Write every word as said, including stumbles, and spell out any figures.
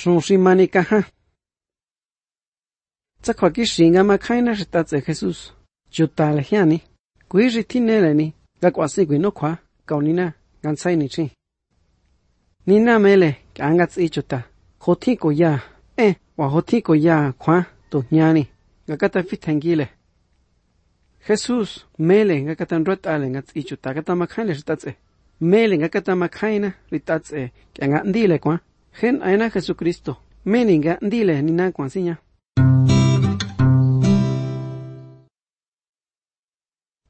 Song si mani kaha. Chắc khoa kí xínga mà khai na rita tse Jesus. Chú ta là hiani. Quý rì thi nê là ni. Gà quả sĩ quý nô khóa. Cậu ni na. Ngàn say ni chi. Ni na mê lệ. Cả ngạt sĩ chú ta. Hồ thi cổ ya. Ê. Và hồ thi cổ ya khóa. Tổ nhà ni. Gà gà ta phít thành ghi lệ. Jesus mê lệ gà gà ta rốt à lệ ngạt sĩ chú ta. Gà ta mà khai lệ rita tse. Mê lệ gà gà ta mà khai na rita tse. Cả ngạn đi lệ quá. Khen ai na Jesucristo. Mê ni gà đi lệ ni na quảng sĩ nha.